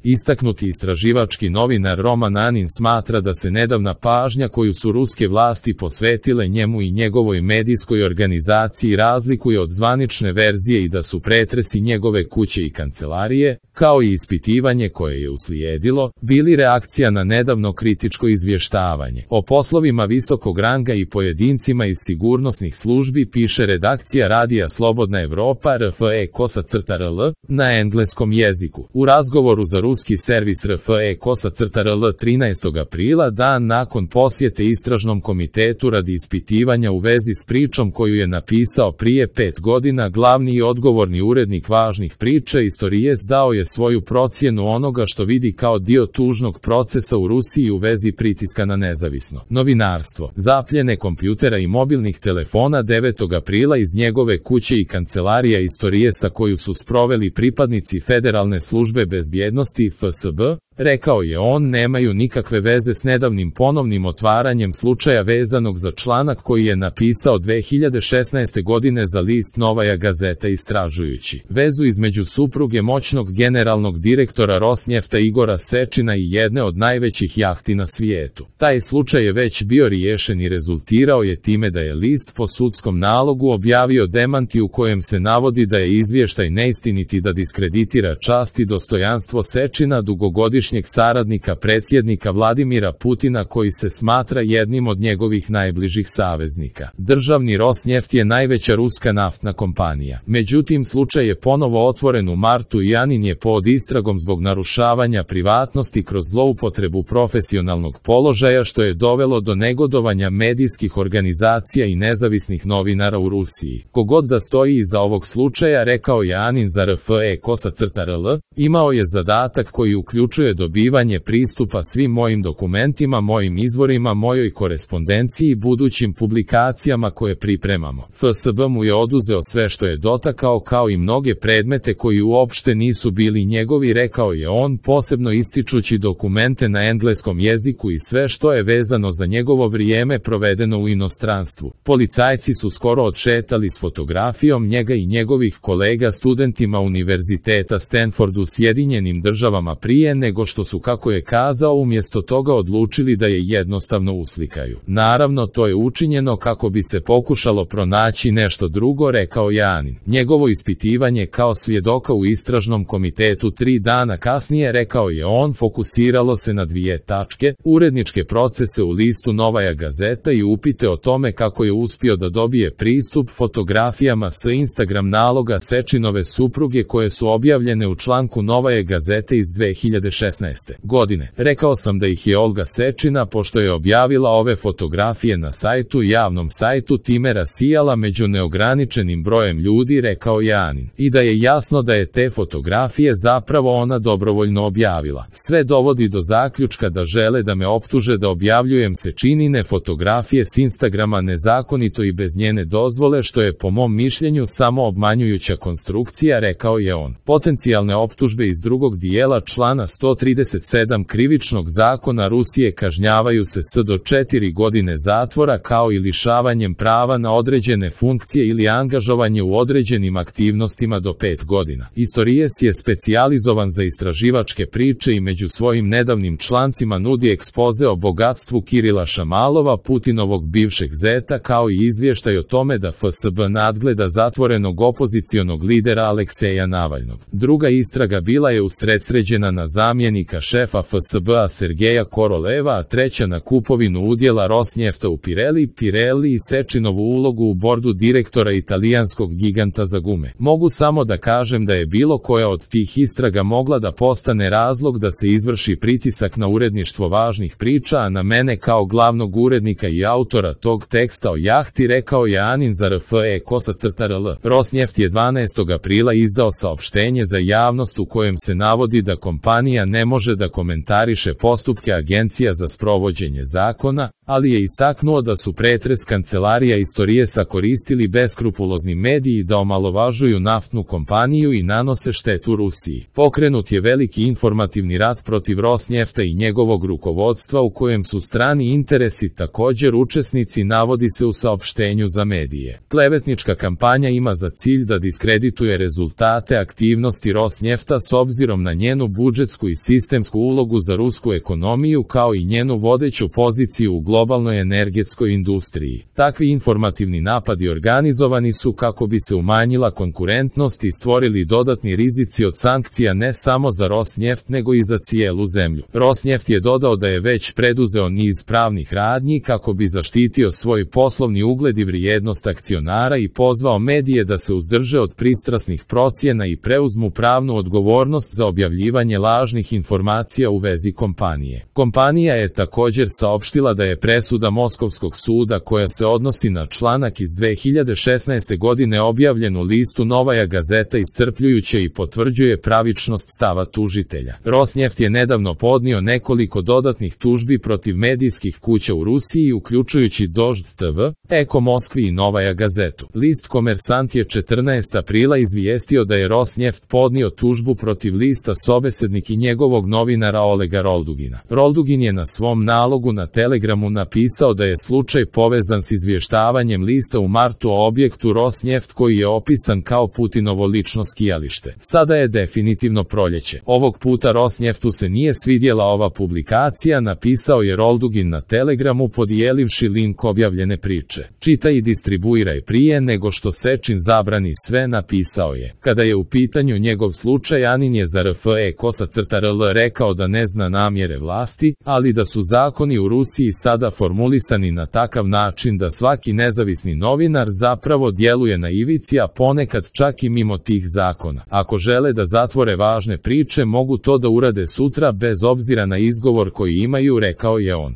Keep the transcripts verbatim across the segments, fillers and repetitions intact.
Istaknuti istraživački novinar Roman Anin smatra da se nedavna pažnja koju su ruske vlasti posvetile njemu i njegovoj medijskoj organizaciji razlikuje od zvanične verzije i da su pretresi njegove kuće i kancelarije, kao i ispitivanje koje je uslijedilo, bili reakcija na nedavno kritičko izvještavanje. O poslovima visokog ranga i pojedincima iz sigurnosnih službi piše redakcija radija Slobodna Evropa R F E Kosa crta R L na engleskom jeziku. U razgovoru za ruski servis R F E Kosa crta R L trinaestog aprila, dan nakon posjete istražnom komitetu radi ispitivanja u vezi s pričom koju je napisao prije pet godina, glavni i odgovorni urednik važnih priča Istorijes dao je svoju procjenu onoga što vidi kao dio tužnog procesa u Rusiji u vezi pritiska na nezavisno novinarstvo. Zapljene kompjutera i mobilnih telefona devetog aprila iz njegove kuće i kancelarija Istorijesa koju su sproveli pripadnici Federalne službe bezbjednosti F S B, rekao je on, nemaju nikakve veze s nedavnim ponovnim otvaranjem slučaja vezanog za članak koji je napisao dve hiljade šesnaeste godine za list Novaja Gazeta istražujući vezu između supruge moćnog generalnog direktora Rosnjefta Igora Sečina i jedne od najvećih jahti na svijetu. Taj slučaj je već bio riješen i rezultirao je time da je list po sudskom nalogu objavio demanti u kojem se navodi da je izvještaj neistinit i da diskreditira čast i dostojanstvo Sečina, dugogodišnjeg saradnika predsjednika Vladimira Putina koji se smatra jednim od njegovih najbližih saveznika. Državni Rosnjeft je najveća ruska naftna kompanija. Međutim, slučaj je ponovo otvoren u martu i Anin je pod istragom zbog narušavanja privatnosti kroz zloupotrebu profesionalnog položaja što je dovelo do negodovanja medijskih organizacija i nezavisnih novinara u Rusiji. Kogod da stoji iza ovog slučaja, rekao je Anin za R F E Kosa crta R L, imao je zadatak koji uključuje dobivanje pristupa svim mojim dokumentima, mojim izvorima, mojoj korespondenciji i budućim publikacijama koje pripremamo. F S B mu je oduzeo sve što je dotakao kao i mnoge predmete koji uopšte nisu bili njegovi, rekao je on, posebno ističući dokumente na engleskom jeziku i sve što je vezano za njegovo vrijeme provedeno u inostranstvu. Policajci su skoro odšetali s fotografijom njega i njegovih kolega studentima Univerziteta Stanford u Sjedinjenim državama prije nego što su, kako je kazao, umjesto toga odlučili da je jednostavno uslikaju. Naravno, to je učinjeno kako bi se pokušalo pronaći nešto drugo, rekao je Anin. Njegovo ispitivanje kao svjedoka u istražnom komitetu tri dana kasnije, rekao je on, fokusiralo se na dvije tačke, uredničke procese u listu Novaja Gazeta i upite o tome kako je uspio da dobije pristup fotografijama s Instagram naloga Sečinove supruge koje su objavljene u članku Novaje Gazete iz dve hiljade šesnaeste. godine. Rekao sam da ih je Olga Sečina, pošto je objavila ove fotografije na sajtu, javnom sajtu, time rasijala među neograničenim brojem ljudi, rekao je Anin. I da je jasno da je te fotografije zapravo ona dobrovoljno objavila. Sve dovodi do zaključka da žele da me optuže da objavljujem Sečinine fotografije s Instagrama nezakonito i bez njene dozvole, što je po mom mišljenju samo obmanjujuća konstrukcija, rekao je on. Potencijalne optužbe iz drugog dijela člana sto trideset sedam Krivičnog zakona Rusije kažnjavaju se s do četiri godine zatvora kao i lišavanjem prava na određene funkcije ili angažovanje u određenim aktivnostima do pet godina. Istorijes je specijalizovan za istraživačke priče i među svojim nedavnim člancima nudi ekspoze o bogatstvu Kirila Šamalova, Putinovog bivšeg zeta, kao i izvještaj o tome da F S B nadgleda zatvorenog opozicionog lidera Alekseja Navalnog. Druga istraga bila je usredsređena na zamjenika šefa F S B-a Sergeja Koroleva, a treća na kupovinu udjela Rosnjefta u Pirelli, Pirelli i Sečinovu ulogu u bordu direktora italijanskog giganta za gume. Mogu samo da kažem da je bilo koja od tih istraga mogla da postane razlog da se izvrši pritisak na uredništvo važnih priča, a na mene kao glavnog urednika i autora tog teksta o jahti, rekao je Anin za R F E Kosa crta R L. Rosnjeft je dvanaestog aprila izdao saopštenje za javnost u kojem se navodi da kompanija ne može da komentariše postupke agencija za sprovođenje zakona, ali je istaknuo da su pretres kancelarija Istorijesa koristili beskrupulozni mediji da omalovažuju naftnu kompaniju i nanose štetu Rusiji. Pokrenut je veliki informativni rat protiv Rosnjefta i njegovog rukovodstva u kojem su strani interesi također učesnici, navodi se u saopštenju za medije. Klevetnička kampanja ima za cilj da diskredituje rezultate aktivnosti Rosnjefta s obzirom na njenu budžetsku i sistemsku ulogu za rusku ekonomiju kao i njenu vodeću poziciju u globalnoj energetskoj industriji. Takvi informativni napadi organizovani su kako bi se umanjila konkurentnost i stvorili dodatni rizici od sankcija ne samo za Rosnjeft nego i za cijelu zemlju. Rosnjeft je dodao da je već preduzeo niz pravnih radnji kako bi zaštitio svoj poslovni ugled i vrijednost akcionara i pozvao medije da se uzdrže od pristrasnih procjena i preuzmu pravnu odgovornost za objavljivanje lažnih informacija u vezi kompanije. Kompanija je također saopštila da je presuda Moskovskog suda koja se odnosi na članak iz dve hiljade šesnaeste godine objavljen u listu Novaja Gazeta iscrpljujuće i potvrđuje pravičnost stava tužitelja. Rosnjeft je nedavno podnio nekoliko dodatnih tužbi protiv medijskih kuća u Rusiji, uključujući Dožd te ve, Eko Moskvi i Novaja Gazetu. List Komersant je četrnaestog aprila izvijestio da je Rosnjeft podnio tužbu protiv lista Sobesednik i njegovog novinara Olega Roldugina. Roldugin je na svom nalogu na Telegramu napisao da je slučaj povezan s izvještavanjem lista u martu o objektu Rosnjeft koji je opisan kao Putinovo lično skijalište. Sada je definitivno proljeće. Ovog puta Rosnjeftu se nije svidjela ova publikacija, napisao je Roldugin na Telegramu podijelivši link objavljene priče. Čitaj i distribuiraj prije nego što Sečin zabrani sve, napisao je. Kada je u pitanju njegov slučaj, Anin je za R F E Kosa crta R L rekao da ne zna namjere vlasti, ali da su zakoni u Rusiji sada formulisani na takav način da svaki nezavisni novinar zapravo djeluje na ivici, a ponekad čak i mimo tih zakona. Ako žele da zatvore važne priče, mogu to da urade sutra bez obzira na izgovor koji imaju, rekao je on.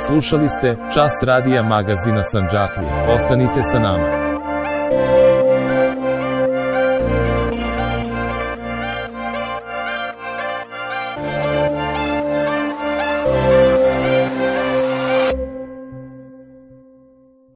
Slušali ste Čas radija magazina Sandžaklije. Ostanite sa nama.